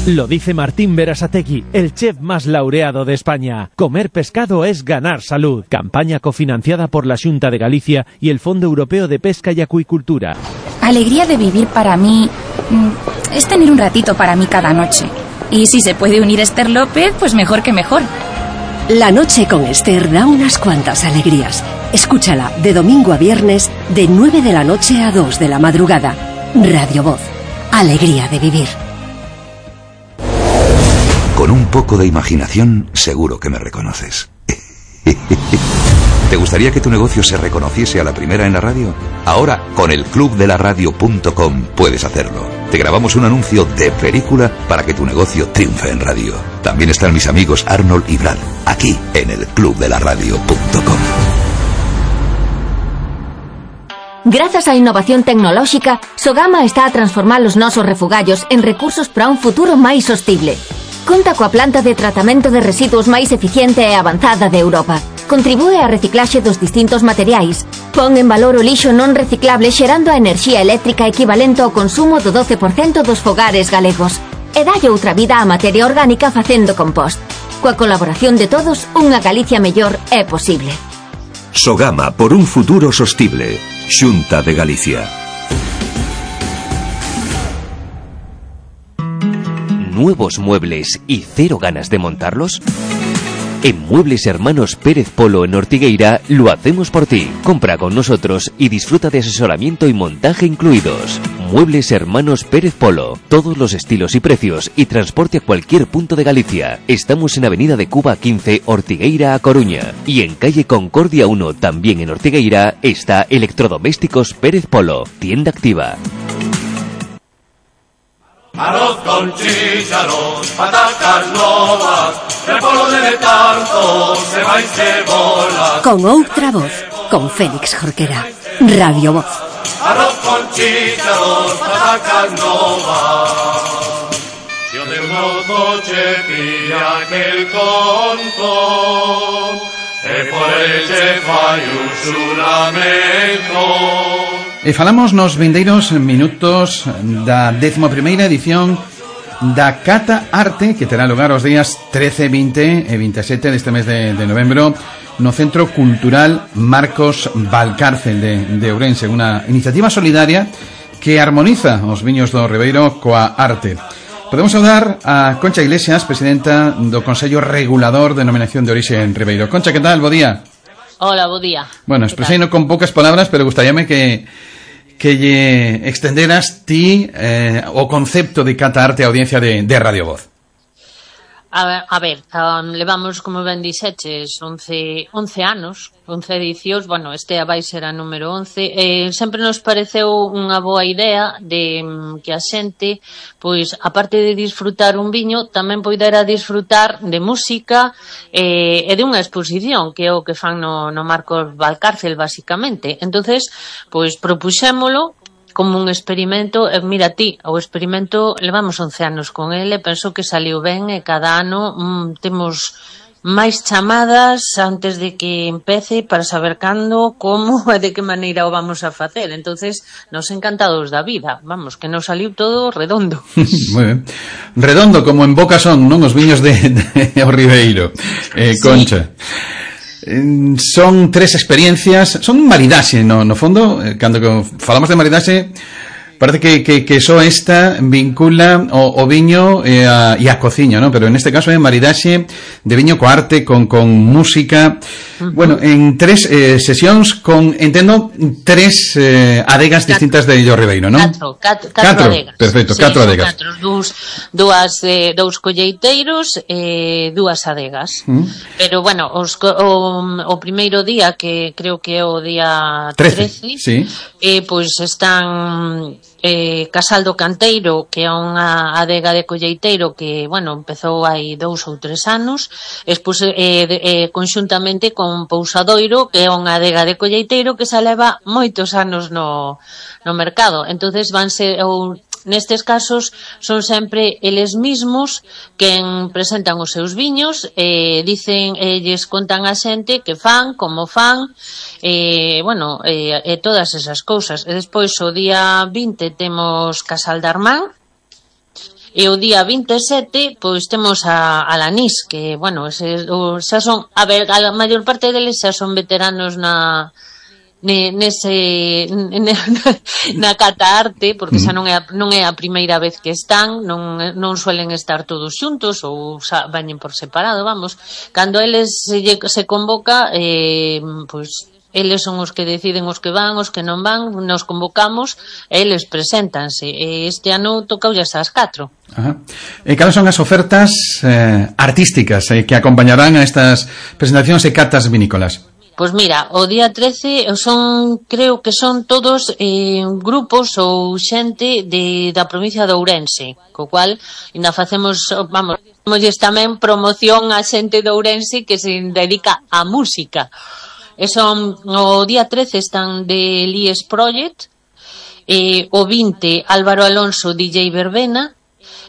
Lo dice Martín Berasategui, el chef más laureado de España. Comer pescado es ganar salud. Campaña cofinanciada por la Xunta de Galicia y el Fondo Europeo de Pesca y Acuicultura. Alegría de vivir para mí es tener un ratito para mí cada noche. Y si se puede unir Esther López, pues mejor que mejor. La noche con Esther da unas cuantas alegrías. Escúchala de domingo a viernes, de nueve de la noche a dos de la madrugada. Radio Voz. Alegría de vivir. Con un poco de imaginación, seguro que me reconoces. ¿Te gustaría que tu negocio se reconociese a la primera en la radio? Ahora, con el club de la radio punto com puedes hacerlo. Te grabamos un anuncio de película para que tu negocio triunfe en radio. También están mis amigos Arnold y Brad, aquí en el club de la radio punto com. Grazas á innovación tecnolóxica, Sogama está a transformar os nosos refugallos en recursos para un futuro máis sostible. Conta coa planta de tratamento de residuos máis eficiente e avanzada de Europa. contribúe á reciclaxe dos distintos materiais. Pon en valor o lixo non reciclable xerando a enerxía eléctrica equivalente ao consumo do doce por cento dos fogares galegos. E dalle outra vida á materia orgánica facendo compost. Coa colaboración de todos, unha Galicia mellor é posible. Sogama por un futuro sostible. Xunta de Galicia. ¿Nuevos muebles y cero ganas de montarlos? En Muebles Hermanos Pérez Polo en Ortigueira lo hacemos por ti. Compra con nosotros y disfruta de asesoramiento y montaje incluidos. Muebles Hermanos Pérez Polo. Todos los estilos y precios y transporte a cualquier punto de Galicia. Estamos en Avenida de Cuba quince, Ortigueira a Coruña. Y en calle Concordia uno, también en Ortigueira, está Electrodomésticos Pérez Polo. Tienda activa. Arroz con chícharos, patacas novas, repolo de tanto, ceba y cebola. Con outra voz, con Félix Jorquera. Radio Voz. Arroz con chícharos, patacas novas. Si o de mozo che pilla aquel conto, e por el che fai un xuramento. E falamos nos vindeiros minutos da décimo primeira edición da Cata Arte, que terá lugar os días trece, vinte e veintisiete deste mes de, de novembro no Centro Cultural Marcos Valcárcel de, de Ourense, unha iniciativa solidaria que armoniza os viños do Ribeiro coa arte. Podemos saudar a Concha Iglesias, presidenta do Consello Regulador de Denominación de Orixe en Ribeiro. Concha, que tal? Bo día. Hola, bo día. Bueno, expreseino con poucas palabras, pero gustaríame que que lle extenderas ti eh, o concepto de Cata Arte a audiencia de, de Radio Voz. A ver, a ver um, levamos, como ben dixeches, once, once anos, once edicións, bueno, este vai ser a número once, eh, sempre nos pareceu unha boa idea de um, que a xente, pois, aparte de disfrutar un viño, tamén poidera disfrutar de música eh, e de unha exposición, que é o que fan no, no Marcos Valcárcel, basicamente. Entonces, pois, propuxémolo como un experimento, e mira ti, o experimento levamos once anos con ele, penso que saliu ben e cada ano mm, temos máis chamadas antes de que empece para saber cando, como e de que maneira o vamos a facer. Entonces, nos encantados da vida, vamos, que nos saliu todo redondo. Moi ben. Redondo, como en boca son, non? Os viños de, de o Ribeiro, eh, Concha. Sí. Son tres experiencias, son maridaxe, no, no fondo, cando falamos de maridaxe, parece que, que, que só esta vincula o, o viño e a, e a cociña, ¿no? Pero en este caso é maridaxe de viño co arte, con, con música. Uh-huh. Bueno, en tres eh, sesións con, entendo, tres eh, adegas catro. distintas de Illo Ribeiro, ¿no? Catro, catro, catro, catro adegas. Perfecto, sí, catro adegas. Catro, dous, dúas, eh, dous colleiteiros e eh, dúas adegas. Uh-huh. Pero, bueno, os, o, o primeiro día, que creo que é o día trece, sí. eh, pois están... Eh, Casal do Canteiro, que é unha adega de colleiteiro que, bueno, empezou hai dous ou tres anos, expus, eh, de, eh, conxuntamente con Pousadoiro, que é unha adega de colleiteiro que se leva moitos anos no, no mercado. Entonces vanse, ou, nestes casos son sempre eles mismos quen presentan os seus viños, eh, dicen, eh, lles contan a xente que fan, como fan, eh, bueno, eh, e todas esas cousas. E despois o día vinte temos Casal de Armán, e o día vinte e sete pois temos a, a Lanís, que, bueno, ese, o, xa son, a ver, a maior parte deles xa son veteranos na nese na Cata Arte, porque xa non é, non é a primeira vez que están, non, non suelen estar todos xuntos ou xa veñen por separado, vamos. Cando eles se, se convoca, eh, pois eles son os que deciden os que van, os que non van, nos convocamos e eles preséntanse. E este ano tocaulles ás catro. Ajá. E cales son as ofertas eh, artísticas eh, que acompañarán a estas presentacións e catas vinícolas? Pois mira, o día trece son, creo que son todos eh, grupos ou xente de, da provincia de Ourense, co cual ainda facemos, vamos, facemos tamén promoción a xente de Ourense que se dedica á música. E son, o día trece están de Lies Project, eh, o vinte Álvaro Alonso D J Verbena,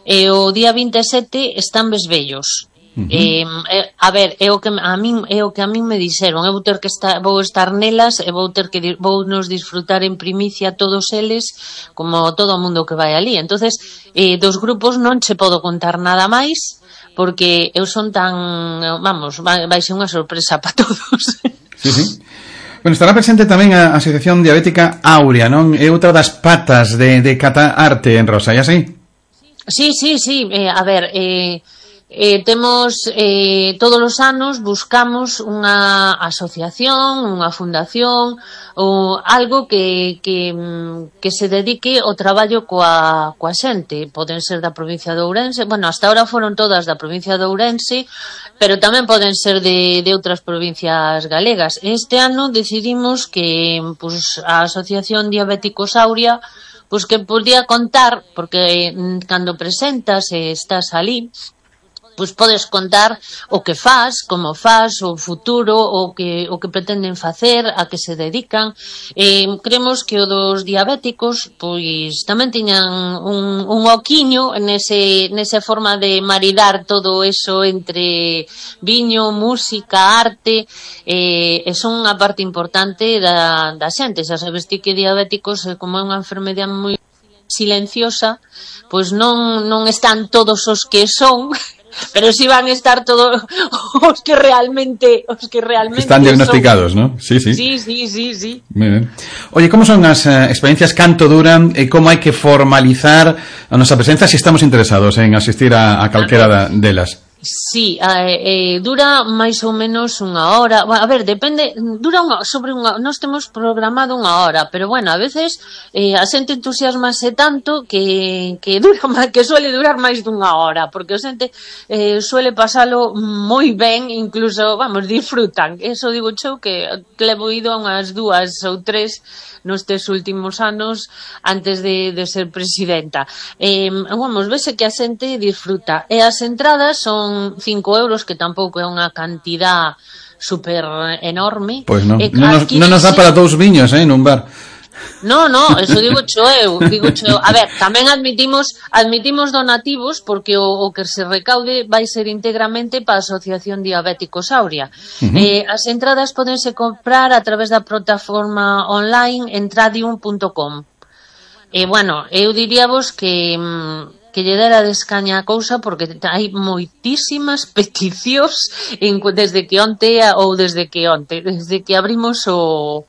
e o día vinte e sete están Besbellos. Uh -huh. eh, eh, a ver, é o que a min é o que a min me dixeron, eu vou ter que estar, vou estar nelas e vou ter que vou nos disfrutar en primicia todos eles, como todo o mundo que vai ali. Entonces, eh, dos grupos non che podo contar nada máis, porque eu son tan, vamos, vai, vai ser unha sorpresa para todos. Sí, sí. Bueno, estará presente tamén a Asociación Diabética Aurea, non? É outra das patas de, de Cata Arte en Rosa, é así? Sí, sí, sí, eh, a ver, eh, eh, temos eh, todos os anos buscamos unha asociación, unha fundación ou algo que, que, que se dedique ao traballo coa, coa xente. Poden ser da provincia de Ourense, bueno, hasta ahora foron todas da provincia de Ourense, pero tamén poden ser de, de outras provincias galegas. Este ano decidimos que pues, a Asociación Diabéticos Aurea pues que podía contar, porque cando presentas e estás ali, pois podes contar o que faz, como faz, o futuro, o que o que pretenden facer, a que se dedican. Eh, creemos que o dos diabéticos pois tamén tiñan un, un oquiño nese, nesa forma de maridar todo eso entre viño, música, arte, eh, e son unha parte importante da, da xente. Xa sabes ti que diabéticos, como é unha enfermedade moi silenciosa, pois non, non están todos os que son, pero si sí van a estar todos os que realmente os que realmente están diagnosticados, son. ¿no? Sí, sí. Sí, sí, sí, sí. Muy bien. Oye, ¿cómo son as uh, experiencias canto duran e como hai que formalizar a nosa presenza se si estamos interesados en asistir a, a calquera da, delas? Sí, eh, eh, dura máis ou menos unha hora. A ver, depende, dura unha, sobre unha, nós temos programado unha hora, pero bueno, a veces eh, a xente entusiasmase tanto que, que dura máis, que suele durar máis dunha hora, porque a xente eh, suele pasalo moi ben, incluso, vamos, disfrutan. Eso digo eu que, que levo ido a unhas dúas ou tres nestes últimos anos antes de, de ser presidenta. Eh, vamos, vese que a xente disfruta. E as entradas son cinco euros, que tampouco é unha cantidad super enorme. Pois non, e non, nos, non nos dá para dous viños, eh, nun bar. No, no, eso digo cho eu, digo cho eu. A ver, tamén admitimos admitimos donativos porque o, o que se recaude vai ser íntegramente para a Asociación Diabéticos Aurea. Uh-huh. Eh, as entradas podense comprar a través da plataforma online entradium punto com. E, bueno, eu diríavos que que lle dera descaña a cousa porque hai moitísimas peticións en, desde que onte ou desde que onte, desde que abrimos o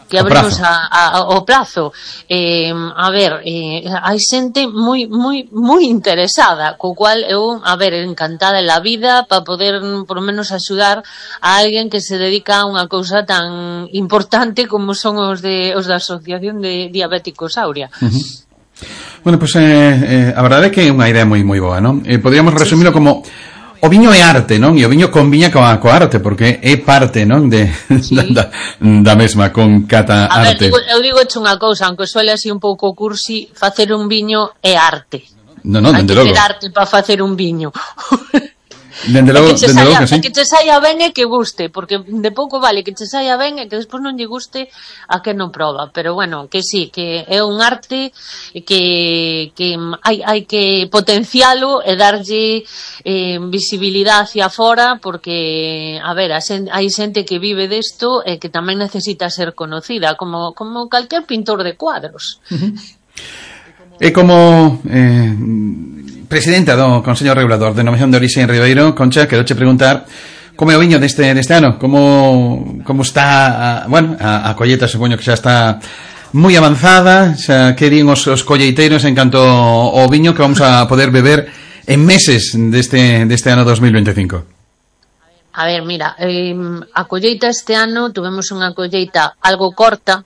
que abrimos a, a, o plazo. Eh, a ver, eh, hai xente moi moi moi interesada, co cual eu, a ver, encantada en la vida para poder por lo menos axudar a alguén que se dedica a unha cousa tan importante como son os de os da Asociación de Diabéticos Aurea. Uh-huh. Bueno, pues eh, eh, a verdade é que é unha idea moi moi boa, non? Eh, podríamos resumirlo sí, sí. como o viño é arte, non? E o viño conviña coa, coa arte, porque é parte, non? De, sí. da, da mesma, con Cata a Arte. A ver, digo, eu digo unha cousa, aunque suele así un pouco cursi, facer un viño é arte. No, no, dende logo. Hai que ter arte para facer un viño. Dende logo, que dende saia, logo que sí. Que che saia ben e que guste, porque de pouco vale que che saia ben e que despois non lle guste a que non proba, pero bueno, que sí, que é un arte que que hai hai que potencialo e darlle eh, visibilidade hacia fora, porque a ver, a xente, hai xente que vive desto e que tamén necesita ser conocida, como como calquer pintor de cuadros. Uh-huh. E como eh, presidenta do Consello Regulador de Denominación de Orixe en Ribeiro, Concha, quero che preguntar como é o viño deste, deste ano, como, como está, a, bueno, a, a colleta, supoño que xa está moi avanzada, xa que din os, os colleiteiros en canto ao viño que vamos a poder beber en meses deste, deste ano dos mil veinticinco. A ver, mira, eh, a colleita este ano tuvemos unha colleita algo corta,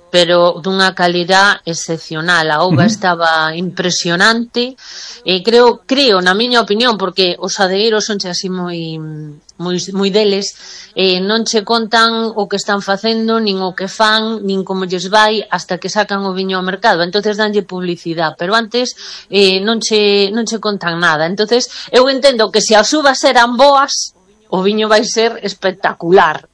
pero dunha calidad excepcional. A uva uh-huh. estaba impresionante. E creo, creo, na miña opinión, porque os adegueiros son así moi moi moi deles, eh, non che contan o que están facendo, nin o que fan, nin como lles vai hasta que sacan o viño ao mercado. Entonces danlle publicidade, pero antes eh, non che non che contan nada. Entonces eu entendo que se as uvas eran boas, o viño vai ser espectacular.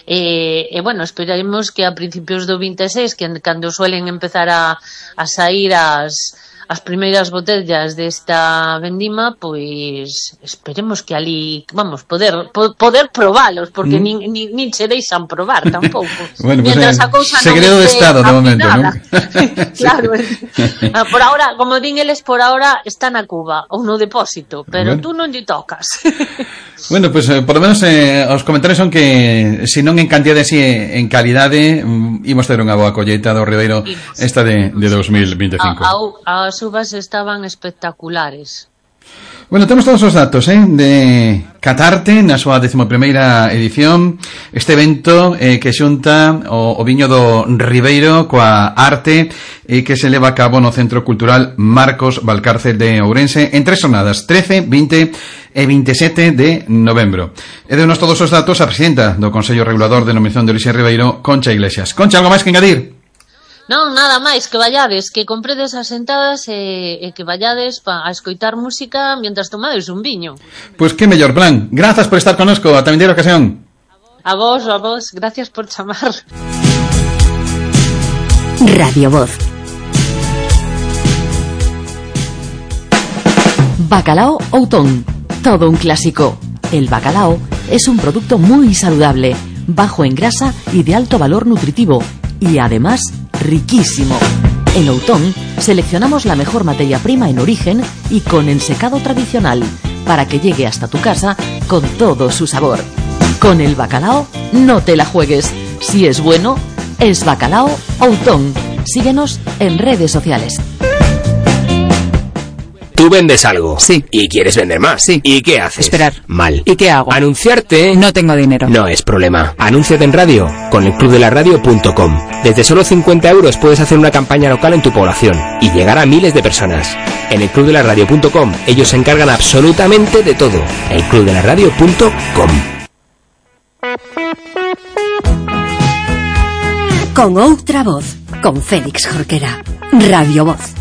E, e bueno, esperaremos que a principios do vinte e seis, que cando suelen empezar a, a sair as, as primeiras botellas desta vendima, pois esperemos que ali, vamos, poder po, poder probalos, porque mm. nin, nin, nin se deixan probar tampouco. Bueno, pues Mientras eh, a cousa segredo non de estado de momento, ¿no? Claro. Por ahora, como din eles, por ahora está na cuba ou no depósito, pero bueno. Tú non lle tocas. Bueno, pues eh, por lo menos eh, os comentarios son que se non en cantidade, si en calidade, mm, imos ter unha boa colleita do Ribeiro esta de, de dos mil veinticinco. A, a, as uvas estaban espectaculares. Bueno, temos todos os datos eh, de Catarte na súa décimo primeira edición, este evento eh, que xunta o, o viño do Ribeiro coa arte e eh, que se leva a cabo no Centro Cultural Marcos Valcárcel de Ourense en tres jornadas, trece, vinte e veintisiete de novembro. E deunos todos os datos a presidenta do Consello Regulador de Denominación de Orixe Ribeiro, Concha Iglesias. Concha, algo máis que engadir? Non, nada máis, que vallades, que compredes as sentadas e, e que vallades pa, a escoitar música mientras tomades un viño. Pois pues que mellor plan. Grazas por estar connosco, ata vindeira ocasión. A vos, a vos, gracias por chamar. Radio Voz. Bacalao Outón, todo un clásico. El bacalao es un producto muy saludable, bajo en grasa y de alto valor nutritivo, y además riquísimo. En Outón seleccionamos la mejor materia prima en origen y con ensecado tradicional para que llegue hasta tu casa con todo su sabor. Con el bacalao no te la juegues. Si es bueno, es Bacalao Outón. Síguenos en redes sociales. Tú vendes algo. Sí. Y quieres vender más. Sí. ¿Y qué haces? Esperar. Mal. ¿Y qué hago? Anunciarte. No tengo dinero. No es problema. Anúnciate en radio con el club de la radio punto com. Desde solo cincuenta euros puedes hacer una campaña local en tu población y llegar a miles de personas. En el club de la radio punto com ellos se encargan absolutamente de todo. el club de la radio punto com. Con outra voz, con Félix Jorquera. Radio Voz.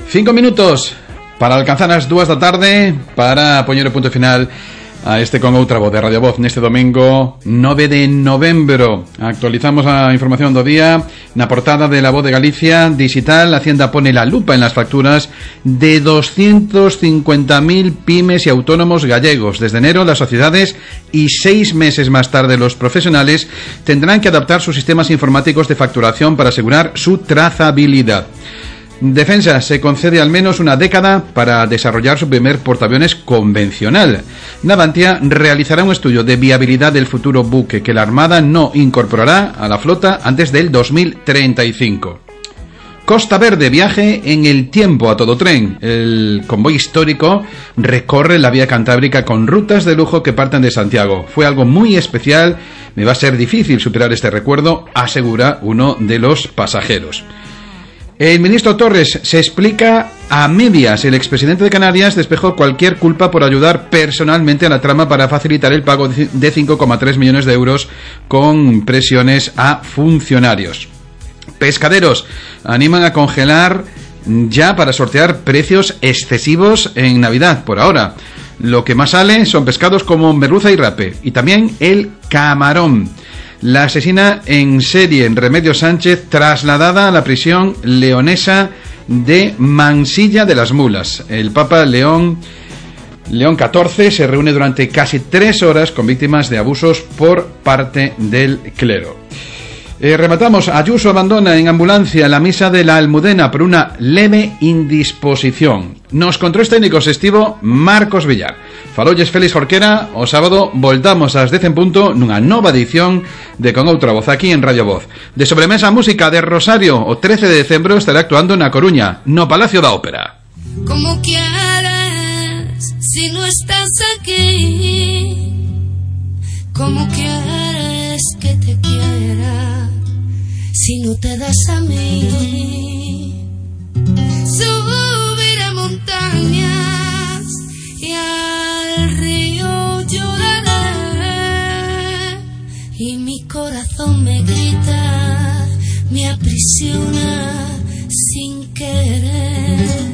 Cinco minutos para alcanzar as dúas da tarde para poñer o punto final a este Con outra voz de Radio Voz neste domingo nove de novembro. Actualizamos a información do día na portada de La Voz de Galicia digital. Hacienda pone la lupa en las facturas de doscientos cincuenta mil pymes y autónomos gallegos. Desde enero las sociedades y seis meses más tarde los profesionales tendrán que adaptar sus sistemas informáticos de facturación para asegurar su trazabilidad. Defensa se concede al menos una década para desarrollar su primer portaaviones convencional. Navantia realizará un estudio de viabilidad del futuro buque que la Armada no incorporará a la flota antes del dos mil treinta y cinco. Costa Verde, viaje en el tiempo a todo tren. El convoy histórico recorre la vía cantábrica con rutas de lujo que parten de Santiago. Fue algo muy especial, me va a ser difícil superar este recuerdo, asegura uno de los pasajeros. El ministro Torres se explica a medias. El expresidente de Canarias despejó cualquier culpa por ayudar personalmente a la trama para facilitar el pago de cinco coma tres millones de euros con presiones a funcionarios. Pescaderos animan a congelar ya para sortear precios excesivos en Navidad por ahora. Lo que más sale son pescados como merluza y rape y también el camarón. La asesina en serie en Remedios Sánchez trasladada a la prisión leonesa de Mansilla de las Mulas. El Papa León León catorce se reúne durante casi tres horas con víctimas de abusos por parte del clero. Eh, rematamos. Ayuso abandona en ambulancia la misa de la Almudena por una leve indisposición. Nos controles técnicos estivo Marcos Villar. Falolles Félix Jorquera. O sábado voltamos ás dez en punto nunha nova edición de Con outra voz aquí en Radio Voz. De sobremesa música de Rosario. O trece de decembro estará actuando na Coruña, no Palacio da Ópera. Como quieres si no estás aquí? ¿Cómo quieres que te quiera si no te das a mí? Subiré a montañas y al río lloraré y mi corazón me grita, me aprisiona sin querer.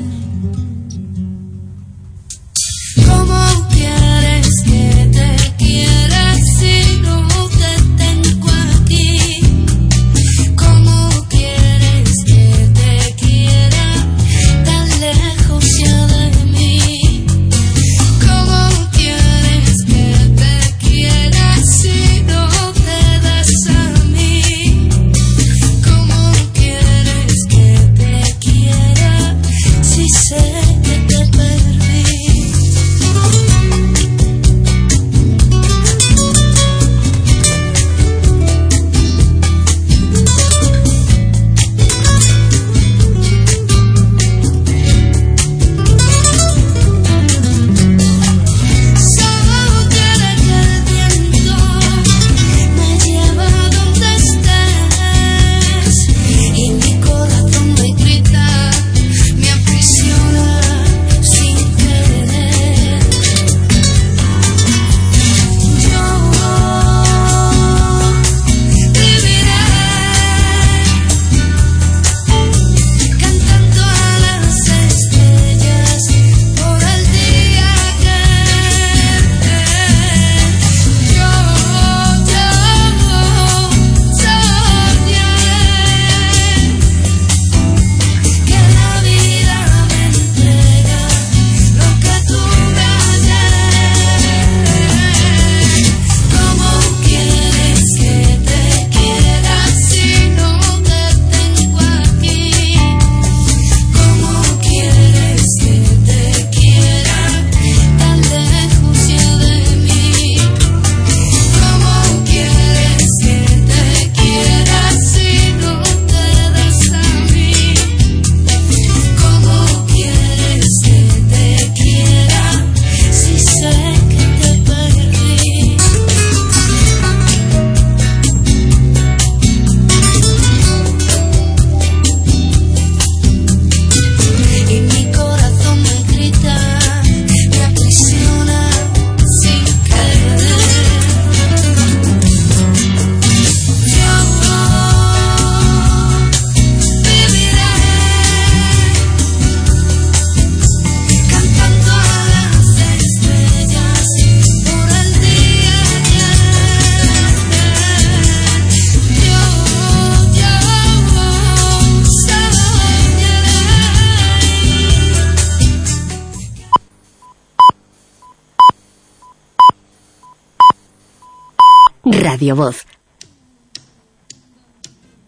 Radio Voz,